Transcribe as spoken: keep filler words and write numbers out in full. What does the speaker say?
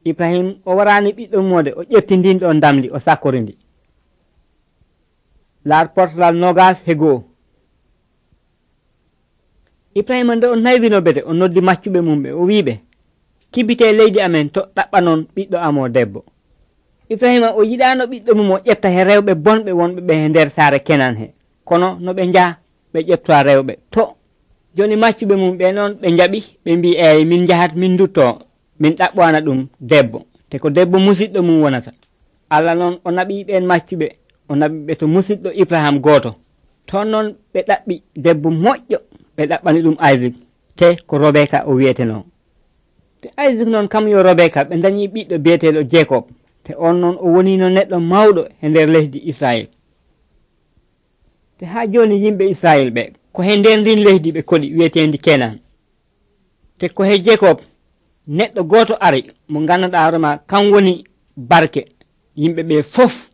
Ibrahim o warani ɓiɗɗo mode o ƴetti ndin ɗo ndamli o sakkorindi. Laar portal nogas he goo. Ibrahima nde o naywino bede o noddi maccuɓe mum ɓe o wiɓe kibite leydi amen to ɗaɓɓanon ɓiɗɗo amo debbo. Ibrahima o yiɗano ɓiɗɗo mum o ƴetta he rewɓe bonɓe wonɓe ɓe he nder saare Kenan he, kono no ɓe njaa ɓe ƴeftowa rewɓe to. Joni maccuɓe mum ɓe noon ɓe jaɓi ɓe mbi eyi min jahat min dutto min ɗaɓɓana ɗum debbo, te ko debbo musidɗo mum wonata. Allah noon o naɓi ɓen maccuɓe o naɓiɓe to musidɗo Ibrahima goto. Toon noon ɓe ɗaɓɓi debbo moƴƴo ɓe ɗaɓɓani ɗum Isaac te ko Robeka o wiyeteno. Te Isaac noon kam yo Robeka ɓe dañi ɓiɗɗo biyeteɗo Jacob, te on noon o wonino neɗɗo mawɗo e nder lesdi Israel. Te ha joni yimɓe Israel ɓe ko he nder ndin lesdi ɓe koɗi wiyetendi Kenan. Te ko he Jacob neɗɗo goto ari mo ganduɗa hoorema kan woni barke yimɓe ɓe fof